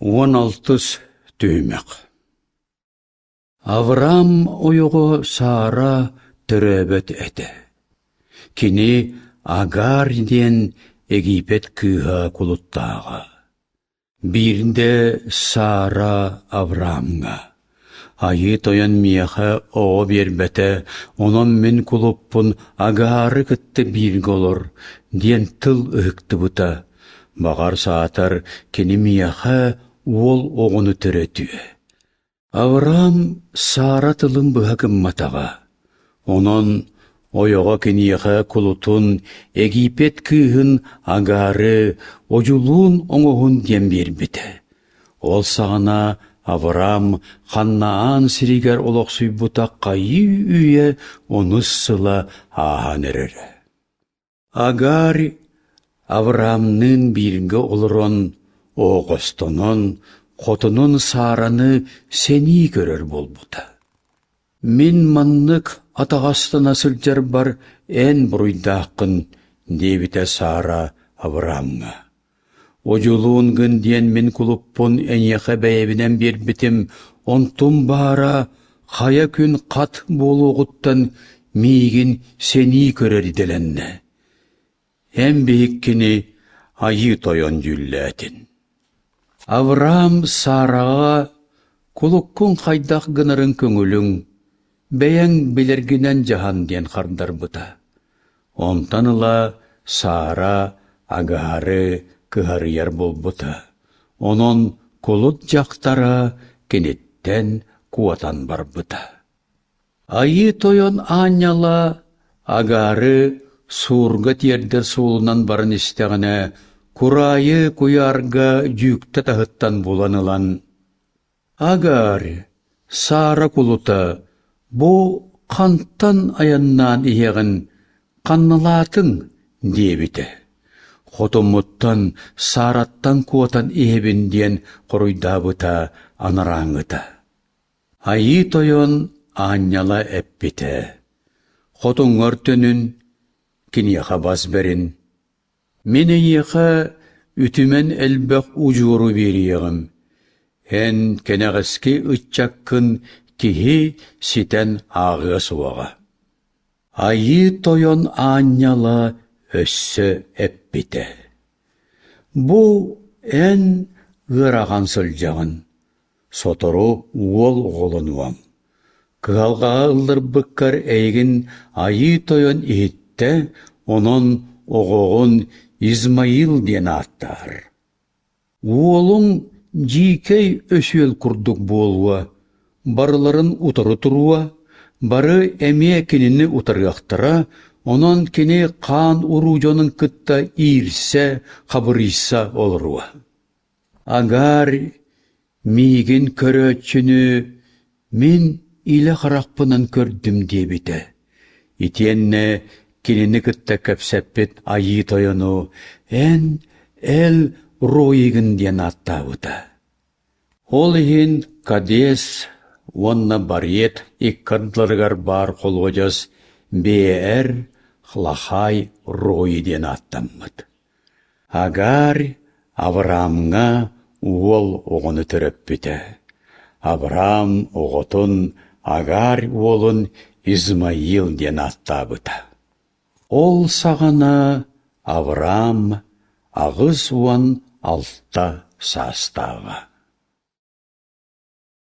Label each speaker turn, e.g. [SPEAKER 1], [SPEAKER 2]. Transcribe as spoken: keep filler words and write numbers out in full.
[SPEAKER 1] Уон алтыс түһүмэх Авраам ойоҕо Сара төрөөбөт этэ. Кини Агар диэн Египет кыыһа кулуттааҕа. Биирдэ Сара Авраамҥа: «Айыы Тойон миэхэ оҕо биэрбэтэ, онон мин кулуппун Агары кытта бииргэ олор» диэн тыл ыһыктыбыта. Баҕар саатар кини миэхэ уол оҕону төрөтүө. Авраам Сара тылын быһа гымматаҕа. Онон ойоҕо киниэхэ кулутун Египет кыыһын Агары одьулуун оҥоһун диэн биэрбитэ. Ол саҕана Авраам Ханнаан сиригэр олохсуйбута хайыы-үйэ онус сыла ааһан эрэрэ. Агарь Авраамныын бииргэ олорон, оҕостонон, хотунун Сараны сэнии көрөр буолбута. «Мин маннык атаҕастана сылдьарбар эн буруйдааххын» диэбитэ Сара Авраамҥа. «Одьулуун гын диэн мин кулуппун эйиэхэ бэйэбинэн биэрбитим, онтум баара хайа күн хат буолуоҕуттан миигин сэнии көрөр идэлэннэ. Эн биһиккини Айыы Тойон дьүүллээтин». Авраам Сараҕа «Кулуккун хайдах гынарын көҥүлүҥ, бэйэҥ билэргинэн дьаһан» диэн хардарбыта. Онтон ыла Сара Агары кыһарыйар буолбута. Онон кулут дьахтара киниттэн куотан барбыта. Айыы Тойон аанньала Агары суурга тиэрдэр суолунан баран истэҕинэ, кураайы куйаарга дьүүктэ таһыттан булан ылан «Агар, Сара кулута, бу хантан айаннаан иһэҕин, ханналаатыҥ?» диэбитэ. Хотуммуттан, Сараттан куотан иһэбин диэн хоруйдаабыта анарааҥҥыта. Айыы Тойон аанньала эппитэ: «Хотуҥҥар төнүн, киниэхэ бас бэрин. Мин эйиэхэ үтүмэн элбэх удьуору биэриэҕим. Эн кэнэҕэски ыччаккын киһи ситэн ааҕыа суоҕа». Айыы Тойон аанньала өссө эппитэ: «Бу эн ыарахан сылдьаҕын, сотору уол оҕолонуоҥ. Кыһалҕаҕа ылларбыккар эйигин Айыы Тойон иһиттэ, онон оҕоҕун Измаил диэн ааттаар. Уолуҥ дьиикэй өсүөл курдук буолуо, барыларын утары туруо, бары эмиэ кинини утарыахтара, онон кини хаан уруу дьонун кытта иирсэ, хабырыйса олоруо. Агарь миигин көрөөччүнү мин илэ харахпынан көрдүм диэбитэ. Итиэннэ кинини кытта кэпсэппит Айыы Тойону эн Эл Ройигын диэн ааттаабыта. Ол иһин Кадес уонна Бариет икки ардыларыгар баар холуодьас Бээр Лахай Рой диэн ааттаммыт. Агарь Авраамҥа уол оҕону төрөппүтэ. Авраам оҕотун Агарь уолун Измаил диэн ааттаабыта. Ол саҕана Авраам аҕыс уон алта саастааҕа.